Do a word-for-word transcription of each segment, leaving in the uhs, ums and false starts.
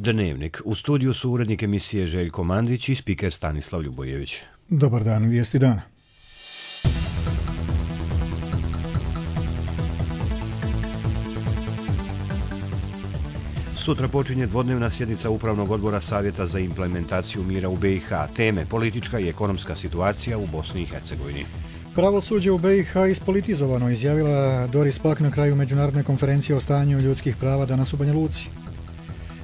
Dnevnik. U studiju su urednik emisije Željko Mandrić i spiker Stanislav Ljubojević. Dobar dan, vijesti dana. Sutra počinje dvodnevna sjednica Upravnog odbora Savjeta za implementaciju mira u B i H. Teme politička i ekonomska situacija u Bosni i Hercegovini. Pravosuđe u B i H ispolitizovano, izjavila Doris Pack na kraju međunarodne konferencije o stanju ljudskih prava danas u Banja Luci.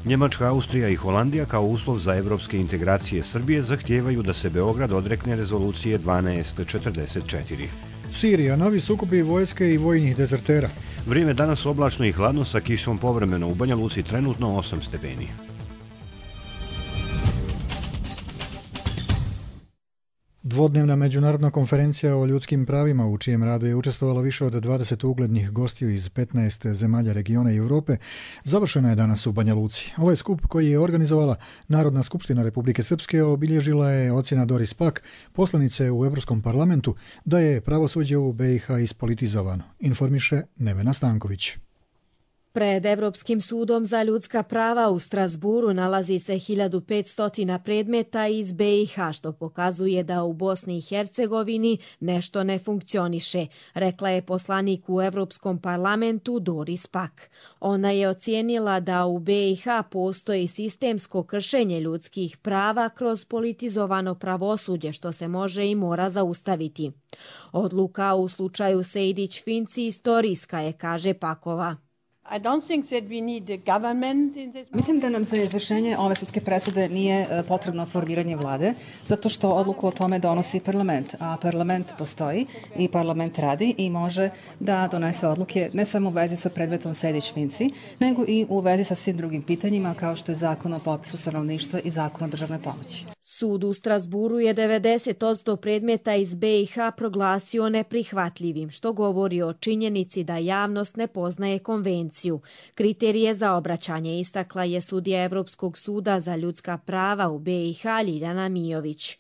Njemačka, Austrija i Holandija kao uslov za evropske integracije Srbije zahtijevaju da se Beograd odrekne rezolucije dvanaest četrdeset četiri. Sirija, novi sukobi vojske i vojnih dezertera. Vrijeme danas oblačno i hladno sa kišom povremeno, u Banja Luci trenutno osam stepeni. Dvodnevna međunarodna konferencija o ljudskim pravima, u čijem radu je učestvovalo više od dvadeset uglednih gostiju iz petnaest zemalja regiona i Europe, završena je danas u Banja Luci. Ovaj skup, koji je organizovala Narodna skupština Republike Srpske, obilježila je ocjena Doris Pack, poslanice u Evropskom parlamentu, da je pravosuđe u B i H ispolitizovano, informiše Nevena Stanković. Pred Evropskim sudom za ljudska prava u Strasburu nalazi se hiljadu petsto predmeta iz B i H, što pokazuje da u Bosni i Hercegovini nešto ne funkcioniše, rekla je poslanik u Evropskom parlamentu Doris Pack. Ona je ocijenila da u B i H postoji sistemsko kršenje ljudskih prava kroz politizovano pravosuđe, što se može i mora zaustaviti. Odluka u slučaju Sejdić-Finci istorijska je, kaže Pakova. Mislim da nam za izvršenje ove sudske presude nije potrebno formiranje vlade, zato što odluku o tome donosi parlament, a parlament postoji i parlament radi i može da donese odluke ne samo u vezi sa predmetom Sejdić-Finci, nego i u vezi sa svim drugim pitanjima kao što je zakon o popisu stanovništva i zakon o državnoj pomoći. Sud u Strasburu je devedeset posto predmeta iz B i H proglasio neprihvatljivim, što govori o činjenici da javnost ne poznaje konvenciju. Kriterije za obraćanje istakla je sudija Evropskog suda za ljudska prava u B i H Ljiljana Mijović.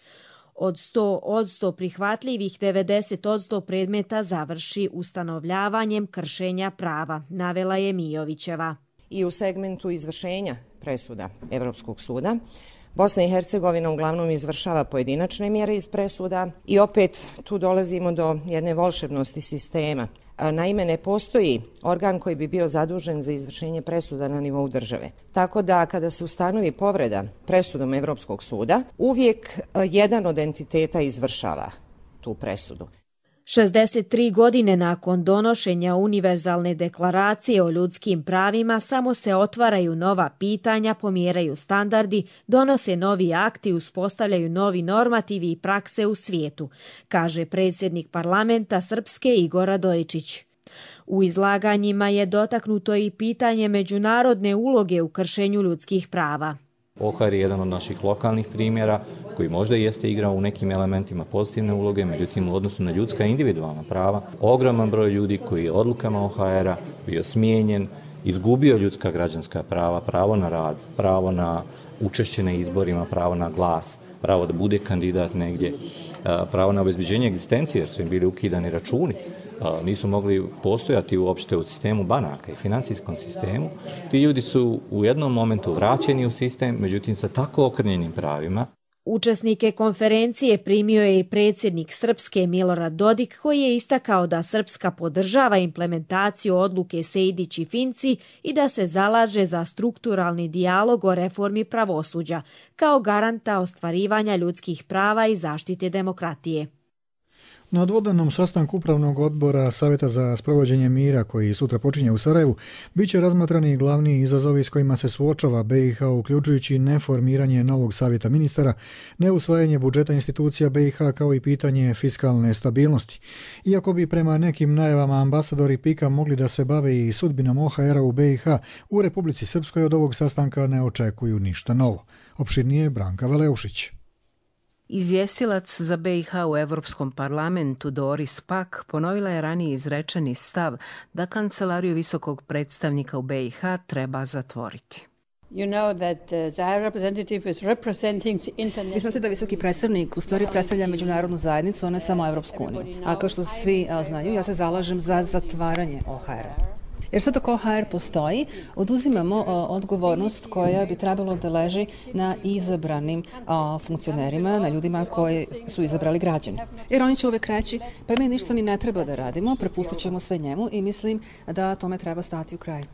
Od sto posto prihvatljivih devedeset posto predmeta završi ustanovljavanjem kršenja prava, navela je Mijovićeva. I u segmentu izvršenja presuda Evropskog suda Bosna i Hercegovina uglavnom izvršava pojedinačne mjere iz presuda i opet tu dolazimo do jedne volšebnosti sistema. Naime, ne postoji organ koji bi bio zadužen za izvršenje presuda na nivou države. Tako da kada se ustanovi povreda presudom Evropskog suda, uvijek jedan od entiteta izvršava tu presudu. šezdeset tri godine nakon donošenja Univerzalne deklaracije o ljudskim pravima samo se otvaraju nova pitanja, pomjeraju standardi, donose novi akti, uspostavljaju novi normativi i prakse u svijetu, kaže predsjednik parlamenta Srpske Igor Radojičić. U izlaganjima je dotaknuto i pitanje međunarodne uloge u kršenju ljudskih prava. O H R je jedan od naših lokalnih primjera koji možda jeste igrao u nekim elementima pozitivne uloge, međutim u odnosu na ljudska individualna prava, ogroman broj ljudi koji je odlukama O H R-a bio smijenjen, izgubio ljudska građanska prava, pravo na rad, pravo na učešće na izborima, pravo na glas, pravo da bude kandidat negdje, pravo na obezbeđenje egzistencije jer su im bili ukidani računi, nisu mogli postojati uopšte u sistemu banaka i financijskom sistemu. Ti ljudi su u jednom momentu vraćeni u sistem, međutim sa tako okrnjenim pravima. Učesnike konferencije primio je i predsjednik Srpske Milorad Dodik, koji je istakao da Srpska podržava implementaciju odluke Sejdić i Finci i da se zalaže za strukturalni dijalog o reformi pravosuđa kao garanta ostvarivanja ljudskih prava i zaštite demokratije. Na dvodnevnom sastanku Upravnog odbora Savjeta za sprovođenje mira, koji sutra počinje u Sarajevu, bit će razmatrani glavni izazovi s kojima se suočava B i H, uključujući neformiranje novog savjeta ministara, neusvajanje budžeta institucija B i H kao i pitanje fiskalne stabilnosti. Iako bi prema nekim najavama ambasadori Pika mogli da se bave i sudbinom O H R-a u B i H, u Republici Srpskoj od ovog sastanka ne očekuju ništa novo. Opširnije Branka Veleušić. Izvjestilac za B i H u Evropskom parlamentu Doris Pack ponovila je ranije izrečeni stav da kancelariju visokog predstavnika u B i H treba zatvoriti. Vi znate da visoki predstavnik u stvari predstavlja međunarodnu zajednicu, a ne samo Evropsku uniju. A kao što svi znaju, ja se zalažem za zatvaranje O H R-a. Jer sve dok O H R postoji, oduzimamo odgovornost koja bi trebalo da leži na izabranim funkcionerima, na ljudima koji su izabrali građani. Jer oni će uvek reći, pa mi ništa ni ne treba da radimo, prepustit ćemo sve njemu i mislim da tome treba stati u kraj.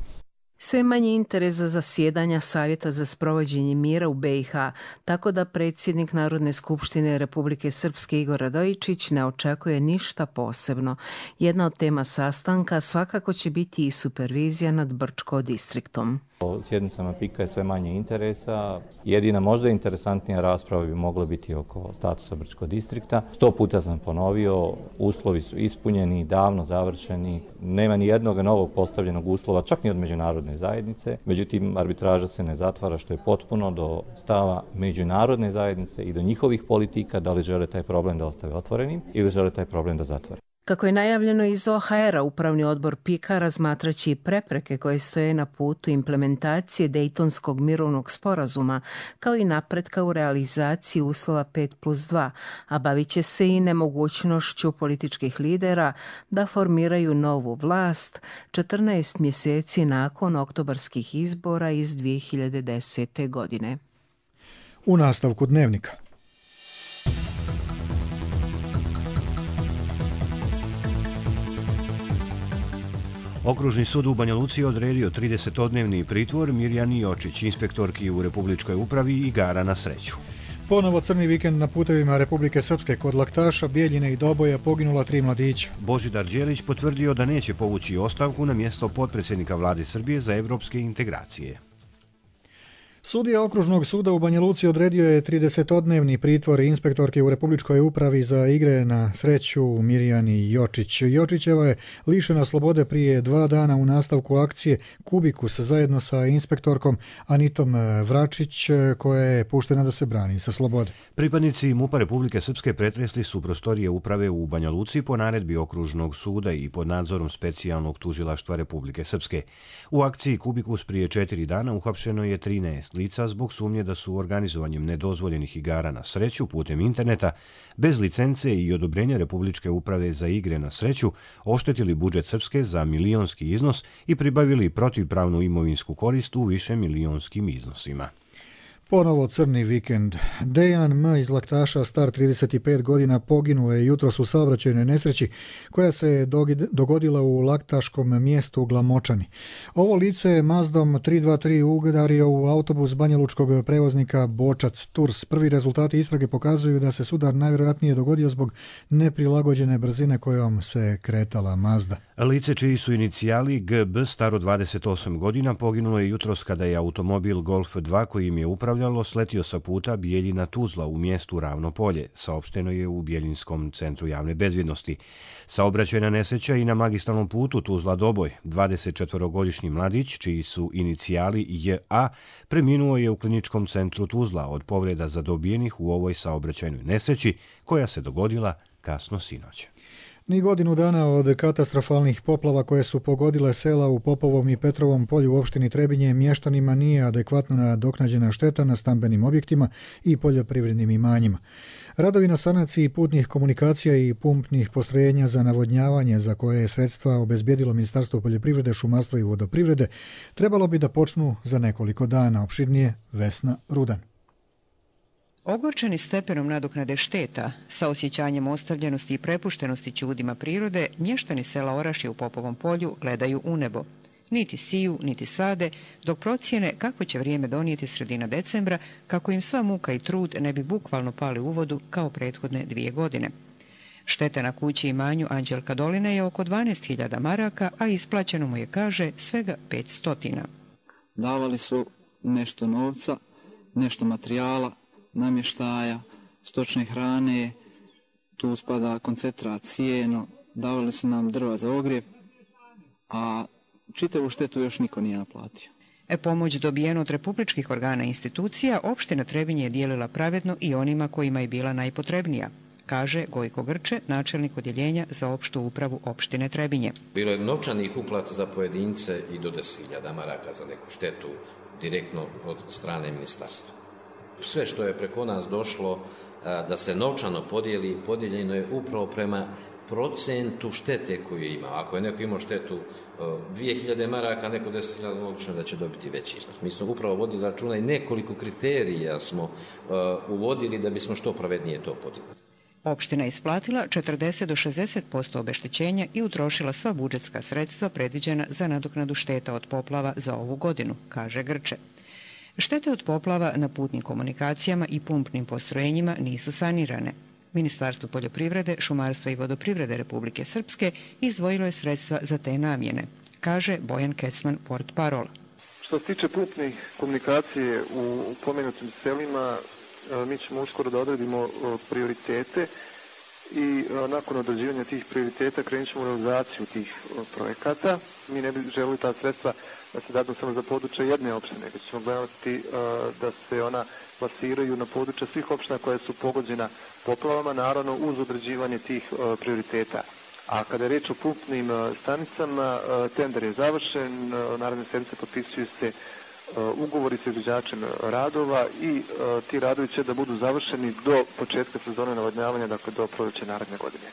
Sve manji interes za zasjedanja Savjeta za sprovođenje mira u B i H, tako da predsjednik Narodne skupštine Republike Srpske Igor Radojičić ne očekuje ništa posebno. Jedna od tema sastanka svakako će biti i supervizija nad Brčko distriktom. O sjednicama pika je sve manje interesa. Jedina možda interesantnija rasprava bi mogla biti oko statusa Brčko distrikta. Sto puta sam ponovio, uslovi su ispunjeni, davno završeni, nema ni jednog novog postavljenog uslova, čak ni od međunarodne zajednice. Međutim, arbitraža se ne zatvara, što je potpuno do stava međunarodne zajednice i do njihovih politika, da li žele taj problem da ostave otvorenim ili žele taj problem da zatvore. Kako je najavljeno iz O H R-a, Upravni odbor pika razmatraće i prepreke koje stoje na putu implementacije Dejtonskog mirovnog sporazuma, kao i napretka u realizaciji uslova pet plus dva, a bavit će se i nemogućnošću političkih lidera da formiraju novu vlast četrnaest mjeseci nakon oktobarskih izbora iz dvije hiljade desete. godine. U nastavku dnevnika. Okružni sud u Banja Luci odredio tridesetodnevni pritvor Mirjani Jočić, inspektorki u Republičkoj upravi igara na sreću. Ponovo crni vikend na putevima Republike Srpske. Kod Laktaša, Bijeljine i Doboja poginula tri mladića. Božidar Đelić potvrdio da neće povući ostavku na mjesto potpredsjednika vlade Srbije za evropske integracije. Sudija Okružnog suda u Banja Luci odredio je tridesetodnevni pritvor inspektorke u Republičkoj upravi za igre na sreću Mirjani Jočić. Jočićeva je lišena slobode prije dva dana u nastavku akcije Kubikus zajedno sa inspektorkom Anitom Vračić, koja je puštena da se brani sa slobode. Pripadnici MUP-a Republike Srpske pretresli su prostorije uprave u Banja Luci po naredbi Okružnog suda i pod nadzorom specijalnog tužilaštva Republike Srpske. U akciji Kubikus prije četiri dana uhapšeno je trinaest lica zbog sumnje da su organizovanjem nedozvoljenih igara na sreću putem interneta bez licence i odobrenja Republičke uprave za igre na sreću oštetili budžet Srpske za milionski iznos i pribavili protivpravnu imovinsku korist u više milionskim iznosima. Ponovo crni vikend. Dejan M. iz Laktaša, star trideset pet godina, poginuo je jutros u saobraćajnoj nesreći koja se dogodila u laktaškom mjestu Glamočani. Ovo lice je Mazdom tri dva tri udario u autobus banjalučkog prevoznika Bočac Tours. Prvi rezultati istrage pokazuju da se sudar najvjerojatnije dogodio zbog neprilagođene brzine kojom se kretala Mazda. Lice čiji su inicijali G B, staro dvadeset osam godina, poginulo je jutros kada je automobil Golf dva kojim je upravljalo sletio sa puta Bijeljina Tuzla u mjestu Ravno polje, saopšteno je u Bjeljinskom centru javne bezbjednosti. Saobraćajna nesreća i na magistralnom putu Tuzla Doboj. dvadesetčetvorogodišnji mladić, čiji su inicijali J A, preminuo je u kliničkom centru Tuzla od povreda zadobijenih u ovoj saobraćajnoj nesreći koja se dogodila kasno sinoć. Ni godinu dana od katastrofalnih poplava koje su pogodile sela u Popovom i Petrovom polju u opštini Trebinje, mještanima nije adekvatno nadoknađena šteta na stambenim objektima i poljoprivrednim imanjima. Radovi na sanaciji putnih komunikacija i pumpnih postrojenja za navodnjavanje, za koje je sredstva obezbjedilo Ministarstvo poljoprivrede, šumarstva i vodoprivrede, trebalo bi da počnu za nekoliko dana. Opširnije Vesna Rudan. Ogorčeni stepenom nadoknade šteta, sa osjećanjem ostavljenosti i prepuštenosti čudima prirode, mještani sela Orašje u Popovom polju gledaju u nebo. Niti siju, niti sade, dok procijene kako će vrijeme donijeti sredina decembra, kako im sva muka i trud ne bi bukvalno pali u vodu kao prethodne dvije godine. Šteta na kući i imanju Anđelka Doline je oko dvanaest hiljada maraka, a isplaćeno mu je, kaže, svega petsto. Davali su nešto novca, nešto materijala, namještaja, stočne hrane, tu spada koncentrat, sijeno, davali su nam drva za ogrjev, a čitavu štetu još niko nije naplatio. E, pomoć dobijenu od republičkih organa i institucija, opština Trebinje je dijelila pravedno i onima kojima je bila najpotrebnija, kaže Gojko Grče, načelnik odjeljenja za opštu upravu opštine Trebinje. Bilo je novčanih uplata za pojedince i do deset hiljada maraka za neku štetu direktno od strane ministarstva. sve što je preko nas došlo da se novčano podijeli, podijeljeno je upravo prema procentu štete koju ima. Ako je neko imao štetu dvije hiljade maraka, neko deset hiljada, logično da će dobiti veći iznos. Mi smo upravo vodili računa i nekoliko kriterija smo uvodili da bismo što pravednije to podijelili. Opština je isplatila četrdeset do šezdeset posto obeštećenja i utrošila sva budžetska sredstva predviđena za nadoknadu šteta od poplava za ovu godinu, kaže Grče. Štete od poplava na putnim komunikacijama i pumpnim postrojenjima nisu sanirane. Ministarstvo poljoprivrede, šumarstva i vodoprivrede Republike Srpske izdvojilo je sredstva za te namjene, kaže Bojan Kecman, portparol. Što se tiče pumpnih komunikacije u pomenutim selima, mi ćemo uskoro da odredimo prioritete i nakon određivanja tih prioriteta krenut ćemo u realizaciju tih projekata. Mi ne bi želeli ta sredstva da se dadu samo za područje jedne opštine, već ćemo gledati da se ona plasiraju na područje svih opština koje su pogođena poplavama, naravno uz određivanje tih prioriteta. A kada je reč o pumpnim stanicama, tender je završen, naredne sedmice potpisuju se ugovori sa izvođačem radova i ti radovi će da budu završeni do početka sezone navodnjavanja, dakle do proljeća naredne godine.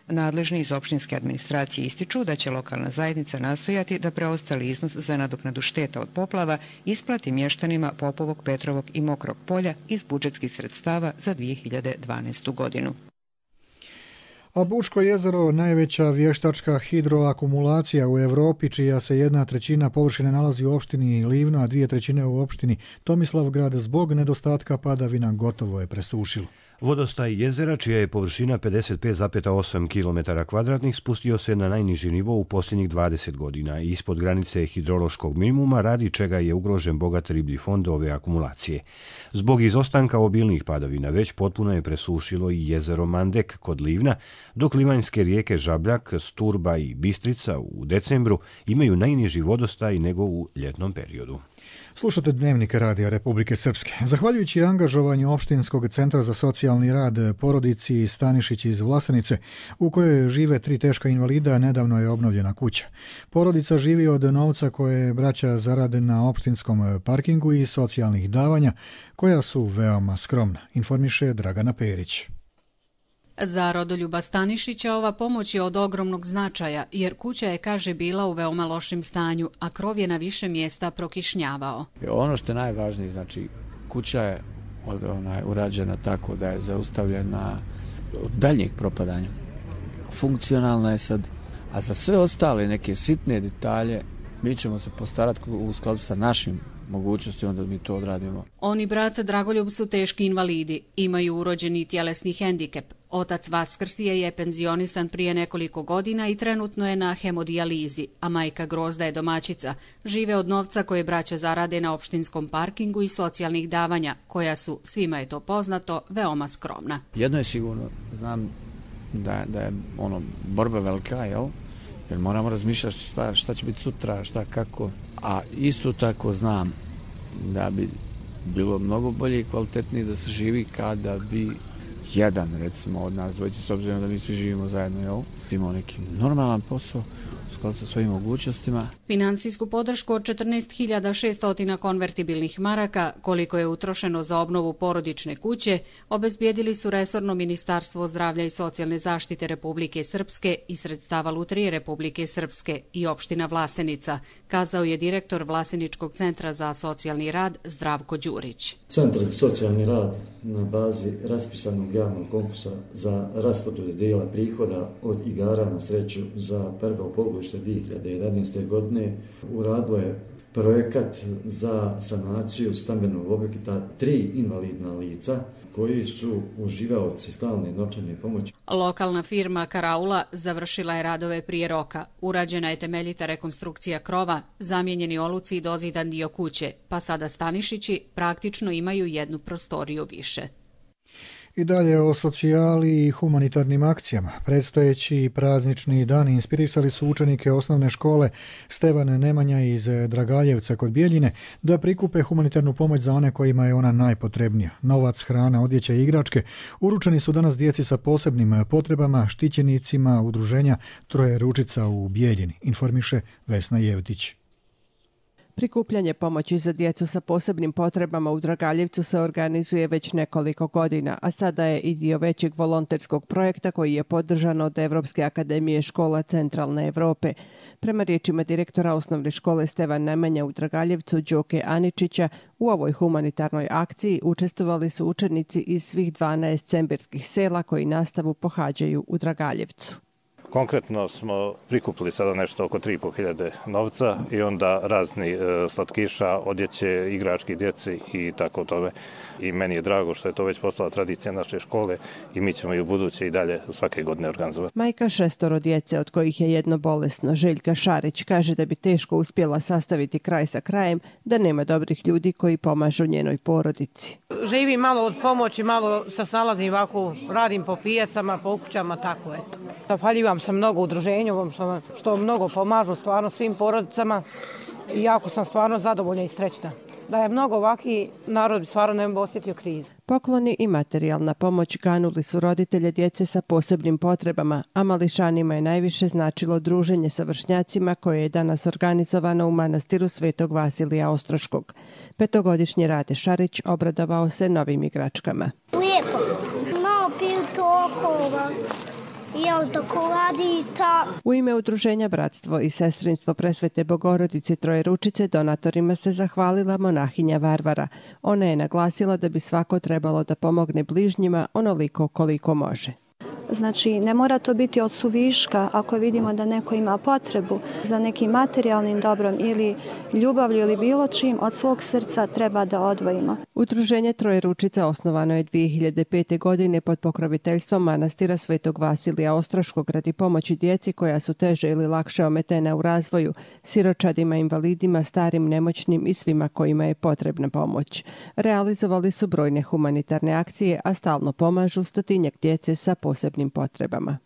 Nadležni iz opštinske administracije ističu da će lokalna zajednica nastojati da preostali iznos za nadoknadu šteta od poplava isplati mještanima Popovog, Petrovog i Mokrog polja iz budžetskih sredstava za dvije hiljade dvanaestu godinu. A Buško jezero, najveća vještačka hidroakumulacija u Europi, čija se jedna trećina površine nalazi u opštini Livno, a dvije trećine u opštini Tomislavgrad, zbog nedostatka padavina gotovo je presušilo. Vodostaj jezera, čija je površina pedeset pet zarez osam kilometara kvadratnih, spustio se na najniži nivo u posljednjih dvadeset godina i ispod granice hidrološkog minimuma, radi čega je ugrožen bogat riblji fond ove akumulacije. Zbog izostanka obilnih padavina već potpuno je presušilo i jezero Mandek kod Livna, dok livanjske rijeke Žabljak, Sturba i Bistrica u decembru imaju najniži vodostaj nego u ljetnom periodu. Slušate Dnevnik Radija Republike Srpske. Zahvaljujući angažovanju Opštinskog centra za socijalni rad porodici Stanišić iz Vlasenice, u kojoj žive tri teška invalida, nedavno je obnovljena kuća. Porodica živi od novca koje braća zarade na opštinskom parkingu i socijalnih davanja, koja su veoma skromna, informiše Dragana Perić. Za Rodoljuba Stanišića ova pomoć je od ogromnog značaja, jer kuća je, kaže, bila u veoma lošem stanju, a krov je na više mjesta prokišnjavao. Ono što je najvažnije, znači, kuća je od, onaj, urađena tako da je zaustavljena od daljnjeg propadanja. Funkcionalna je sad, a za sve ostale neke sitne detalje mi ćemo se postarati u skladu sa našim mogućnosti, onda mi to odradimo. On i brat Dragoljub su teški invalidi, imaju urođeni tjelesni hendikep. Otac Vaskrsije je penzionisan prije nekoliko godina i trenutno je na hemodijalizi, a majka Grozda je domaćica. Žive od novca koje braća zarade na opštinskom parkingu i socijalnih davanja, koja su, svima je to poznato, veoma skromna. Jedno je sigurno, znam da, da je ono borba velika, jel? Jer moramo razmišljati šta, šta će biti sutra, šta kako. A isto tako znam da bi bilo mnogo bolje i kvalitetnije da se živi kada bi jedan, recimo, od nas dvojice, s obzirom da mi svi živimo zajedno, jel? Imao neki normalan posao u skladu sa svojim mogućnostima. Finansijsku podršku od četrnaest hiljada šesto konvertibilnih maraka, koliko je utrošeno za obnovu porodične kuće, obezbijedili su resorno Ministarstvo zdravlja i socijalne zaštite Republike Srpske i sredstava Lutrije Republike Srpske i opština Vlasenica, kazao je direktor Vlaseničkog centra za socijalni rad Zdravko Đurić. Centar za socijalni rad na bazi raspisanog javnog konkursa za raspodjelu dijela prihoda od igara na sreću za prvo polugodište dvije hiljade jedanaeste. godine uradio je projekat za sanaciju stambenog objekta tri invalidna lica koji su uživaoci stalne novčane pomoći. Lokalna firma Karaula završila je radove prije roka. Urađena je temeljita rekonstrukcija krova, zamijenjeni oluci i dozidan dio kuće, pa sada Stanišići praktično imaju jednu prostoriju više. I dalje o socijali i humanitarnim akcijama. Predstojeći praznični dani inspirisali su učenike osnovne škole Stevan Nemanja iz Dragaljevca kod Bijeljine da prikupe humanitarnu pomoć za one kojima je ona najpotrebnija. Novac, hrana, odjeća i igračke uručeni su danas djeci sa posebnim potrebama, štićenicima udruženja Troje ručica u Bijeljini, informiše Vesna Jevtić. Prikupljanje pomoći za djecu sa posebnim potrebama u Dragaljevcu se organizuje već nekoliko godina, a sada je i dio većeg volonterskog projekta koji je podržan od Evropske akademije škola Centralne Evrope. Prema riječima direktora osnovne škole Stevan Nemanja u Dragaljevcu, Đoke Aničića, u ovoj humanitarnoj akciji učestvovali su učenici iz svih dvanaest cembirskih sela koji nastavu pohađaju u Dragaljevcu. Konkretno smo prikupili sada nešto oko tri i po hiljade novca i onda razni e, slatkiša, odjeće, igrački djeci i tako tome. I meni je drago što je to već postala tradicija naše škole i mi ćemo i u buduće i dalje svake godine organizovati. Majka šestoro djece, od kojih je jedno bolesno, Željka Šarić, kaže da bi teško uspjela sastaviti kraj sa krajem da nema dobrih ljudi koji pomažu njenoj porodici. Živim malo od pomoći, malo se snalazim ovako, radim po pijacama, po kućama, tako eto. Zahvaljujem se mnogo udruženju što, što mnogo pomažu stvarno svim porodicama i jako sam stvarno zadovoljna i srećna. Da je mnogo ovaki narod bi stvarno ne bi osjetio krizu. Pokloni i materijalna pomoć ganuli su roditelje djece sa posebnim potrebama, a mališanima je najviše značilo druženje sa vršnjacima koje je danas organizovano u manastiru Svetog Vasilija Ostroškog. Petogodišnji Rade Šarić obradovao se novim igračkama. Lijepo, malo piju tokova. Jel čokoladita. U ime udruženja Bratstvo i sestrinstvo Presvete Bogorodice Trojeručice donatorima se zahvalila monahinja Varvara. Ona je naglasila da bi svako trebalo da pomogne bližnjima onoliko koliko može. Znači, ne mora to biti od suviška ako vidimo da neko ima potrebu za nekim materijalnim dobrom ili ljubavlju ili bilo čim, od svog srca treba da odvojimo. Udruženje Trojeručica osnovano je dvije hiljade pete. godine pod pokroviteljstvom manastira Svetog Vasilija Ostroškog radi pomoći djeci koja su teže ili lakše ometena u razvoju, siročadima, invalidima, starim, nemoćnim i svima kojima je potrebna pomoć. Realizovali su brojne humanitarne akcije, a stalno pomažu stotinjak djece sa posebnim potrebama.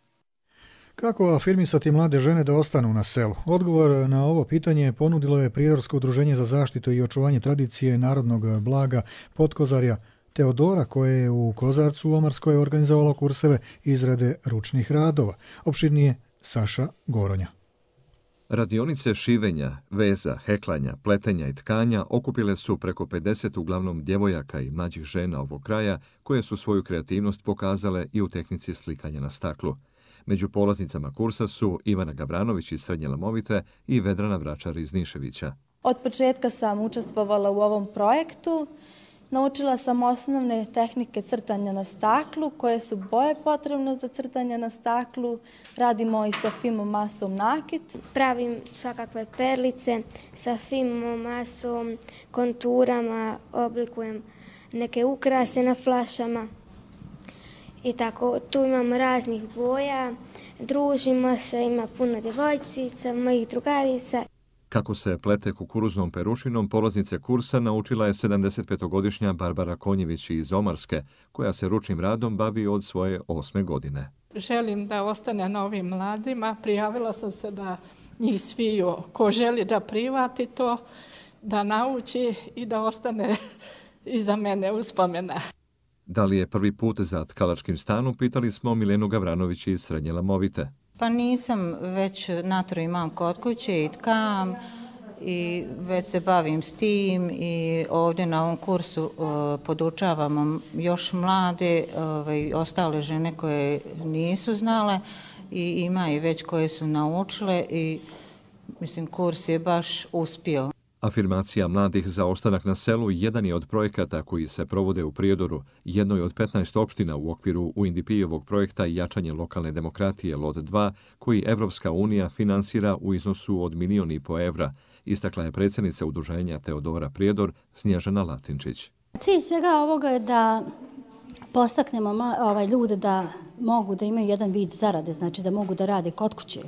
Kako afirmisati mlade žene da ostanu na selu? Odgovor na ovo pitanje ponudilo je Prijedorsko udruženje za zaštitu i očuvanje tradicije narodnog blaga Potkozarja Teodora, koje je u Kozarcu u Omarskoj organizovalo kurseve izrade ručnih radova. Opširnije Saša Goronja. Radionice šivenja, veza, heklanja, pletenja i tkanja okupile su preko pedeset uglavnom djevojaka i mlađih žena ovog kraja koje su svoju kreativnost pokazale i u tehnici slikanja na staklu. Među polaznicama kursa su Ivana Gavranović iz Srednje Lamovite i Vedrana Vračar iz Niševića. Od početka sam učestvovala u ovom projektu. Naučila sam osnovne tehnike crtanja na staklu, koje su boje potrebne za crtanje na staklu. Radimo i sa fimom masom nakit. Pravim svakakve perlice sa fimom masom, konturama, oblikujem neke ukrase na flašama. I tako, tu imam raznih boja, družimo se, ima puno djevojčica, mojih drugarica. Kako se plete kukuruznom perušinom, polaznice kursa naučila je sedamdesetpetogodišnja Barbara Konjević iz Omarske, koja se ručnim radom bavi od svoje osme godine. Želim da ostane na ovim mladima. Prijavila sam se da njih sviju. Ko želi da privati to, da nauči i da ostane iza mene uspomena. Da li je prvi put za tkalačkim stanom, pitali smo Milenu Gavranović iz Srednje Lamovite. Pa nisam, već natru imam kod kuće i tkam i već se bavim s tim i ovdje na ovom kursu uh, podučavamo još mlade, ovaj, ostale žene koje nisu znale i ima i već koje su naučile i mislim kurs je baš uspio. Afirmacija mladih za ostanak na selu jedan je od projekata koji se provode u Prijedoru, jednoj od petnaest opština u okviru U N D P-ovog projekta Jačanje lokalne demokratije L O T dva, koji Evropska unija finansira u iznosu od milijon i po evra, istakla je predsjednica udruženja Teodora Prijedor Snježana Latinčić. Cilj svega ovoga je da postaknemo ovaj, ljude da mogu da imaju jedan vid zarade, znači da mogu da rade kod kuće.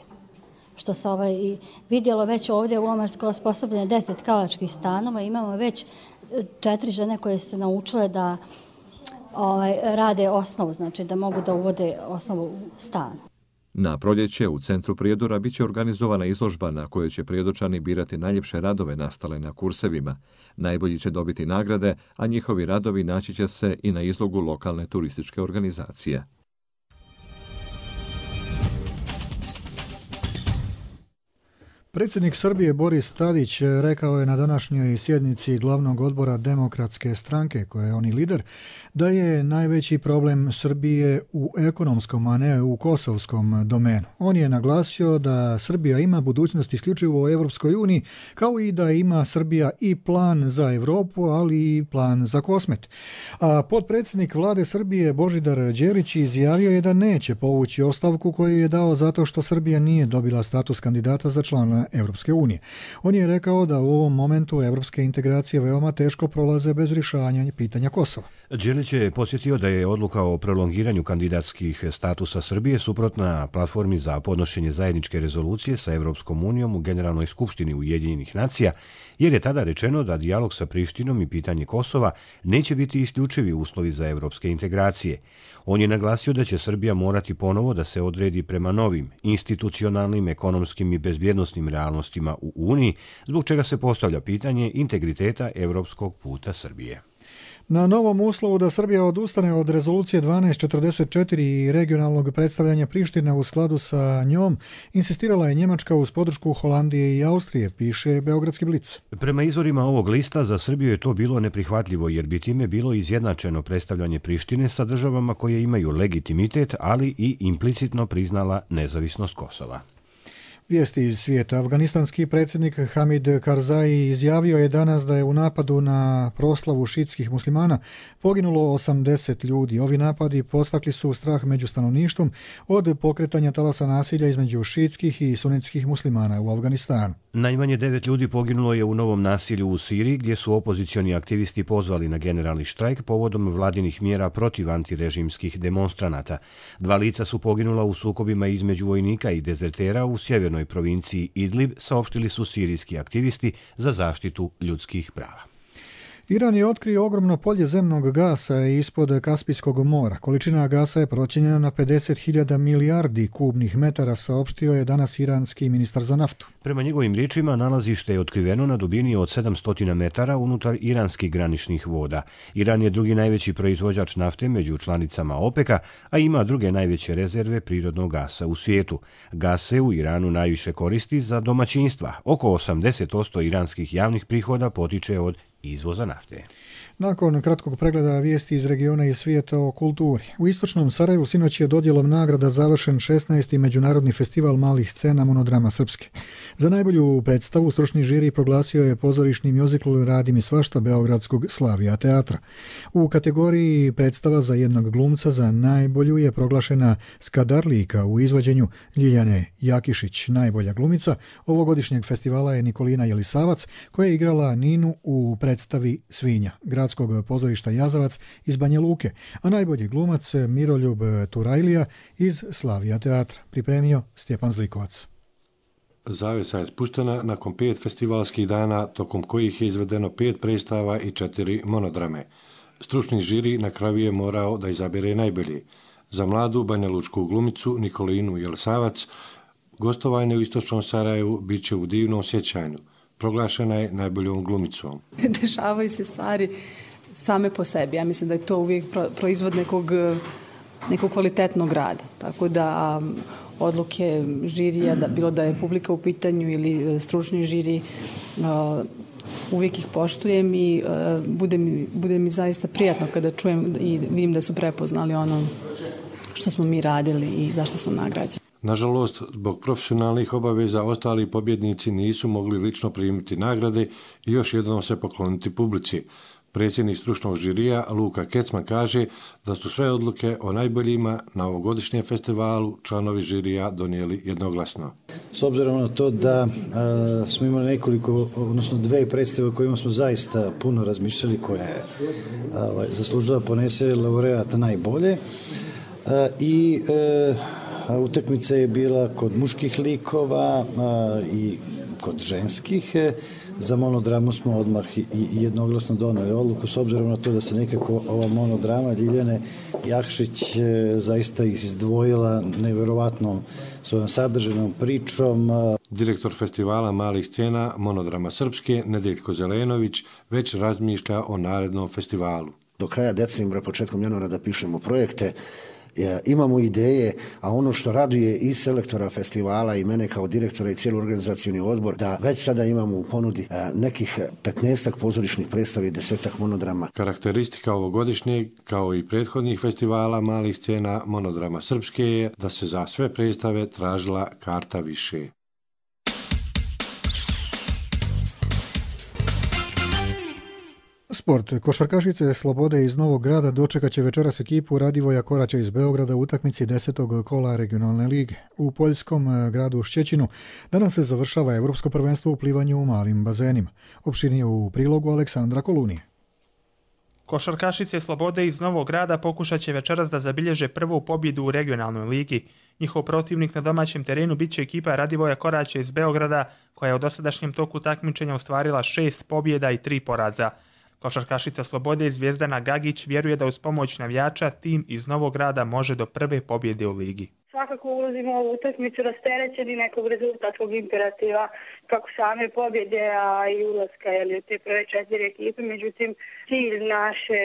Što se ovaj vidjelo već ovdje u Omarskoj osposobljene deset tkalačkih stanova. Imamo već četiri žene koje se naučile da ovaj, rade osnovu, znači da mogu da uvode osnovu u stan. Na proljeće u centru Prijedora bit će organizovana izložba na kojoj će prijedočani birati najljepše radove nastale na kursevima. Najbolji će dobiti nagrade, a njihovi radovi naći će se i na izlogu lokalne turističke organizacije. Predsjednik Srbije Boris Tadić rekao je na današnjoj sjednici glavnog odbora Demokratske stranke, koje je on i lider, da je najveći problem Srbije u ekonomskom, a ne u kosovskom domenu. On je naglasio da Srbija ima budućnost isključivo u Evropskoj uniji, kao i da ima Srbija i plan za Evropu, ali i plan za Kosmet. A potpredsjednik vlade Srbije Božidar Đelić izjavio je da neće povući ostavku koju je dao zato što Srbija nije dobila status kandidata za člana Evropske unije. On je rekao da u ovom momentu evropske integracije veoma teško prolaze bez rješavanja pitanja Kosova. Đelić je posjetio da je odluka o prolongiranju kandidatskih statusa Srbije suprotna platformi za podnošenje zajedničke rezolucije sa Evropskom unijom u Generalnoj skupštini Ujedinjenih nacija, jer je tada rečeno da dijalog sa Prištinom i pitanje Kosova neće biti isključivi uslovi za evropske integracije. On je naglasio da će Srbija morati ponovo da se odredi prema novim, institucionalnim, ekonomskim i bezbjednosnim realnostima u Uniji, zbog čega se postavlja pitanje integriteta evropskog puta Srbije. Na novom uslovu da Srbija odustane od rezolucije dvanaest četrdeset četiri i regionalnog predstavljanja Prištine u skladu sa njom, insistirala je Njemačka uz podršku Holandije i Austrije, piše Beogradski blic. Prema izvorima ovog lista, za Srbiju je to bilo neprihvatljivo, jer bi time bilo izjednačeno predstavljanje Prištine sa državama koje imaju legitimitet, ali i implicitno priznala nezavisnost Kosova. Vijesti iz svijeta. Afganistanski predsjednik Hamid Karzai izjavio je danas da je u napadu na proslavu šitskih muslimana poginulo osamdeset ljudi. Ovi napadi postakli su strah među stanovništvom od pokretanja talasa nasilja između šitskih i sunetskih muslimana u Afganistanu. Najmanje devet ljudi poginulo je u novom nasilju u Siriji, gdje su opozicioni aktivisti pozvali na generalni štrajk povodom vladinih mjera protiv antirežimskih demonstranata. Dva lica su poginula u sukobima između vojnika i dezertera u sjevernoj provinciji Idlib, saopštili su sirijski aktivisti za zaštitu ljudskih prava. Iran je otkrio ogromno polje zemnog gasa ispod Kaspijskog mora. Količina gasa je procijenjena na pedeset hiljada milijardi kubnih metara, saopštio je danas iranski ministar za naftu. Prema njegovim riječima, nalazište je otkriveno na dubini od sedamsto metara unutar iranskih graničnih voda. Iran je drugi najveći proizvođač nafte među članicama OPEC-a, a ima druge najveće rezerve prirodnog gasa u svijetu. Gas se u Iranu najviše koristi za domaćinstva. Oko osamdeset posto iranskih javnih prihoda potiče od izvoza nafte. Nakon kratkog pregleda vijesti iz regiona i svijeta o kulturi. U istočnom Sarajevu sinoć je dodjelom nagrada završen šesnaesti Međunarodni festival malih scena Monodrama Srpske. Za najbolju predstavu stručni žiri proglasio je pozorišni mjuzikl Radi mi svašta beogradskog Slavija teatra. U kategoriji predstava za jednog glumca za najbolju je proglašena Skadarlijka u izvođenju Ljiljane Jakišić. Najbolja glumica ovogodišnjeg festivala je Nikolina Jelisavac, koja je igrala Ninu u predstavi Svinja gradskog pozorišta Jazavac iz Banja Luke, a najbolji glumac Miroljub Turajlija iz Slavija teatra, pripremio Stjepan Zlikovac. Zavjesa je spuštena nakon pet festivalskih dana, tokom kojih je izvedeno pet predstava i četiri monodrame. Stručni žiri na kraju je morao da izabere najbolji. Za mladu banjalučku glumicu Nikolinu Jelisavac gostovanje u istočnom Sarajevu bit će u divnom sjećanju. Proglašena je najboljom glumicom. Dešavaju se stvari same po sebi. Ja mislim da je to uvijek proizvod nekog, nekog kvalitetnog rada. Tako da odluke žirija, da, bilo da je publika u pitanju ili stručni žiri, uvijek ih poštujem i bude mi, bude mi zaista prijatno kada čujem i vidim da su prepoznali ono što smo mi radili i zašto smo nagrađeni. Nažalost, zbog profesionalnih obaveza ostali pobjednici nisu mogli lično primiti nagrade i još jednom se pokloniti publici. Predsjednik stručnog žirija Luka Kecman kaže da su sve odluke o najboljima na ovogodišnjem festivalu članovi žirija donijeli jednoglasno. S obzirom na to da a, smo imali nekoliko, odnosno dve predstave o kojima smo zaista puno razmišljali, koja je a, zaslužila ponese laureata najbolje a, i a, a, utakmica je bila kod muških likova a, i kod ženskih. Za monodramu smo odmah i jednoglasno doneli odluku, s obzirom na to da se nekako ova monodrama Ljiljane Jakšić zaista izdvojila nevjerovatnom svojom sadržajnom pričom. Direktor festivala malih scena Monodrama Srpske, Nedeljko Zelenović, već razmišlja o narednom festivalu. Do kraja decembra, početkom januara da pišemo projekte imamo ideje, a ono što raduje i selektora festivala i mene kao direktora i cijeli organizacioni odbor, da već sada imamo u ponudi nekih petnaestak pozorišnih predstava i desetak monodrama. Karakteristika ovogodišnjeg, kao i prethodnih festivala malih scena monodrama srpske je da se za sve predstave tražila karta više. Sport. Košarkašice Slobode iz Novog Grada dočekat će večeras ekipu Radivoja Koraća iz Beograda u utakmici desetog kola regionalne lige. U poljskom gradu Šćećinu danas se završava Evropsko prvenstvo u plivanju u malim bazenima. Opširnije u prilogu Aleksandra Kolunije. Košarkašice Slobode iz Novog Grada pokušat će večeras da zabilježe prvu pobjedu u regionalnoj ligi. Njihov protivnik na domaćem terenu bit će ekipa Radivoja Koraća iz Beograda, koja je u dosadašnjem toku takmičenja ostvarila šest pobjeda i tri poraza. Košarkašica Slobode Zvijezdana Gagić vjeruje da uz pomoć navijača tim iz Novog Grada može do prve pobjede u ligi. Svakako ulazimo u ovu utakmicu rasterećeni nekog rezultatskog imperativa kako same pobjede, a i ulaska jeli, u te prve četiri ekipe. Međutim, cilj naše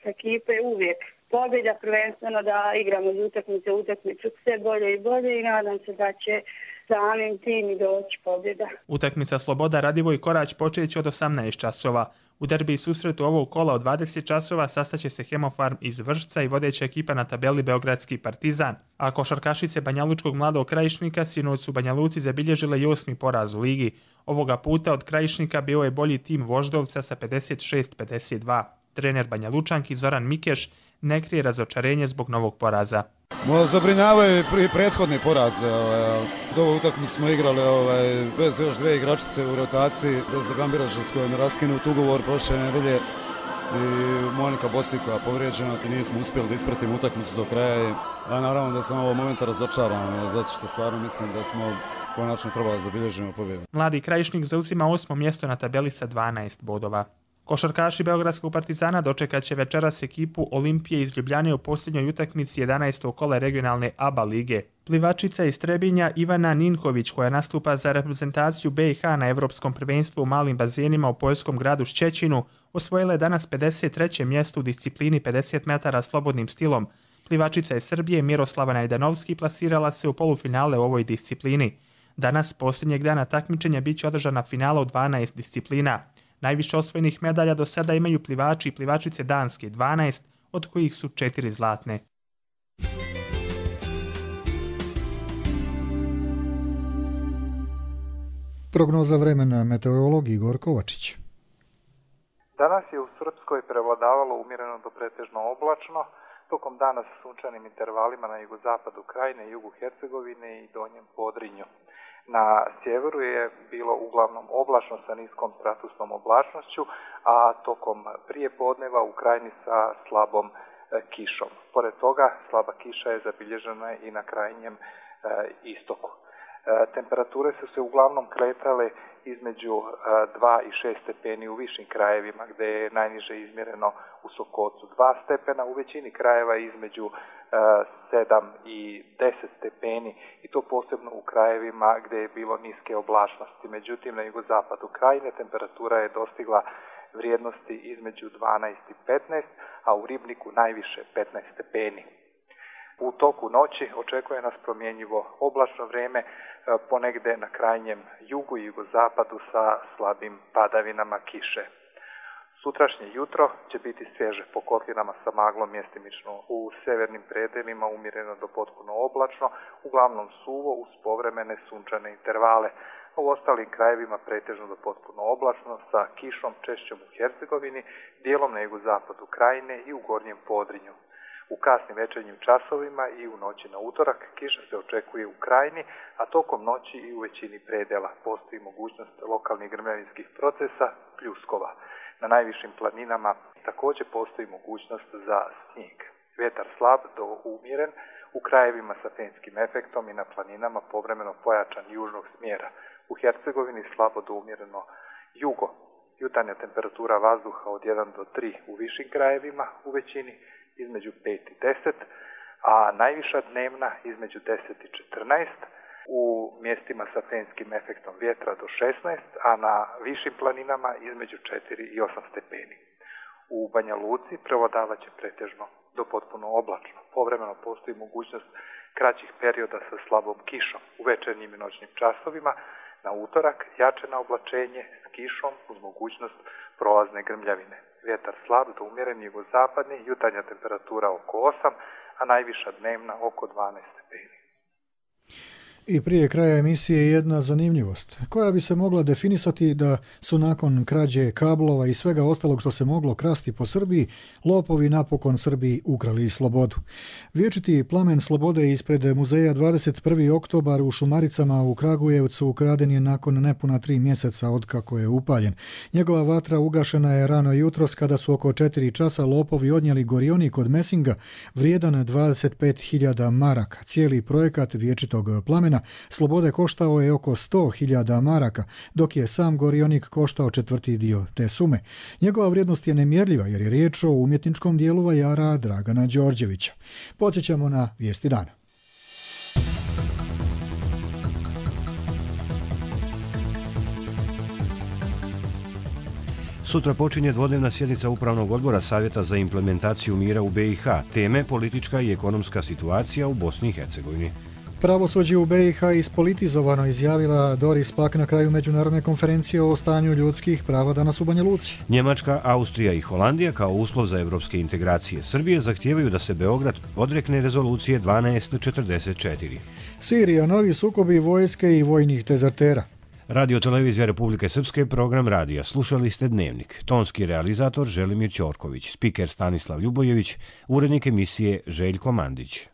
ekipe je uvijek pobjeda, prvenstveno da igramo iz utakmice u utakmicu sve bolje i bolje i nadam se da će samim tim i doći pobjeda. Utakmica Sloboda Radivoj Korać počet će od osamnaest časova. U derbi i susretu ovog kola od dvadeset časova sastaće se Hemofarm iz Vršca i vodeća ekipa na tabeli Beogradski Partizan, a košarkašice Banjalučkog Mladog Krajišnika sinoć su Banja Luci zabilježile i osmi poraz u ligi. Ovoga puta od Krajišnika bio je bolji tim Voždovca sa pedeset šest pedeset dva. Trener Banja Lučanki Zoran Mikeš ne krije razočarenje zbog novog poraza. Zabrinjavaju i prethodni poraz. Ovu utakmicu smo igrali ovaj, bez još dve igračice u rotaciji, bez Gambiraša s kojom je raskinut ugovor prošle nedelje i Monika Bosik koja je povrijeđena i nismo uspjeli da ispratimo utakmicu do kraja. A naravno da sam ovog momenta razočaran, zato što stvarno mislim da smo konačno trebali zabilježiti pobjedu. Mladi Krajišnik zauzima osmo mjesto na tabeli sa dvanaest bodova. Košarkaši Beogradskog Partizana dočekat će večeras ekipu Olimpije iz Ljubljane u posljednjoj utakmici jedanaestog kola regionalne A B A lige. Plivačica iz Trebinja Ivana Ninković, koja nastupa za reprezentaciju B i H na Evropskom prvenstvu u malim bazenima u poljskom gradu Šćećinu, osvojila je danas pedeset treće mjesto u disciplini pedeset metara slobodnim stilom. Plivačica iz Srbije Miroslava Najdanovski plasirala se u polufinale u ovoj disciplini. Danas, posljednjeg dana takmičenja, bit će održana finala u dvanaest disciplina. Najviše osvojenih medalja do sada imaju plivači i plivačice Danske, dvanaest, od kojih su četiri zlatne. Prognoza vremena, meteorolog Igor Kovačić. Danas je u Srpskoj prevladavalo umjereno do pretežno oblačno, tokom dana sa sunčanim intervalima na jugozapadu Krajine, jugu Hercegovine i donjem Podrinju. Na sjeveru je bilo uglavnom oblačno sa niskom stratusnom oblačnošću, a tokom prije podneva u Krajini sa slabom e, kišom. Pored toga, slaba kiša je zabilježena i na krajnjem e, istoku. E, temperature su se uglavnom kretale između e, dva i šest stepeni u višim krajevima, gdje je najniže izmjereno u Sokocu dva stepena, u većini krajeva između e, sedam i deset stepeni, i to posebno u krajevima gdje je bilo niske oblačnosti. Međutim, na jugozapadu Krajine temperatura je dostigla vrijednosti između dvanaest i petnaest, a u Ribniku najviše petnaest stepeni. U toku noći očekuje nas promjenjivo oblačno vrijeme, ponegde na krajnjem jugu i jugozapadu sa slabim padavinama kiše. Sutrašnje jutro će biti svježe po kotlinama sa maglom, mjestimično u severnim predelima umjereno do potpuno oblačno, uglavnom suvo uz povremene sunčane intervale. U ostalim krajevima pretežno do potpuno oblačno sa kišom češćom u Hercegovini, dijelom na jugozapadu Krajine i u gornjem Podrinju. U kasnim večernjim časovima i u noći na utorak kiša se očekuje u Krajini, a tokom noći i u većini predela postoji mogućnost lokalnih grmljavinskih procesa, pljuskova. Na najvišim planinama također postoji mogućnost za snijeg. Vjetar slab do umjeren, u krajevima sa fenskim efektom i na planinama povremeno pojačan južnog smjera. U Hercegovini slabo do umjereno jugo. Jutarnja temperatura vazduha od jedan do tri u višim krajevima, u većini između pet i deset, a najviša dnevna između deset i četrnaest, u mjestima sa fenskim efektom vjetra do šesnaest, a na višim planinama između četiri i osam stepeni. U Banja Luci prevladavat će pretežno do potpuno oblačno. Povremeno postoji mogućnost kraćih perioda sa slabom kišom u večernjim i noćnim časovima. Na utorak jače oblačenje s kišom uz mogućnost prolazne grmljavine. Vjetar slab do umjeren jugozapadni, jutarnja temperatura oko osam, a najviša dnevna oko dvanaest stepeni. I prije kraja emisije jedna zanimljivost, koja bi se mogla definisati da su nakon krađe kablova i svega ostalog što se moglo krasti po Srbiji, lopovi napokon Srbiji ukrali slobodu. Vječiti plamen slobode ispred muzeja dvadeset prvi oktobar u Šumaricama u Kragujevcu ukraden je nakon nepuna tri mjeseca od kako je upaljen. Njegova vatra ugašena je rano jutros kada su oko četiri časa lopovi odnijeli gorionik od mesinga vrijedan dvadeset pet hiljada maraka. Cijeli projekat vječitog plamena slobode koštao je oko sto hiljada maraka, dok je sam gorionik koštao četvrti dio te sume. Njegova vrijednost je nemjerljiva jer je riječ o umjetničkom dijelu vajara Dragana Đorđevića. Podsjećamo na vijesti dana. Sutra počinje dvodnevna sjednica Upravnog odbora Savjeta za implementaciju mira u B i H. Teme politička i ekonomska situacija u Bosni i Hercegovini. Pravosuđe u B i H ispolitizovano, izjavila Doris Pack na kraju međunarodne konferencije o stanju ljudskih prava danas u Banja Luci. Njemačka, Austrija i Holandija kao uslov za evropske integracije Srbije zahtijevaju da se Beograd odrekne rezolucije dvanaest četrdeset četiri. Sirija, novi sukobi vojske i vojnih dezertera. Radio Televizija Republike Srpske, program radija. Slušali ste Dnevnik. Tonski realizator Želimir Ćorković, spiker Stanislav Ljubojević, urednik emisije Željko Mandić.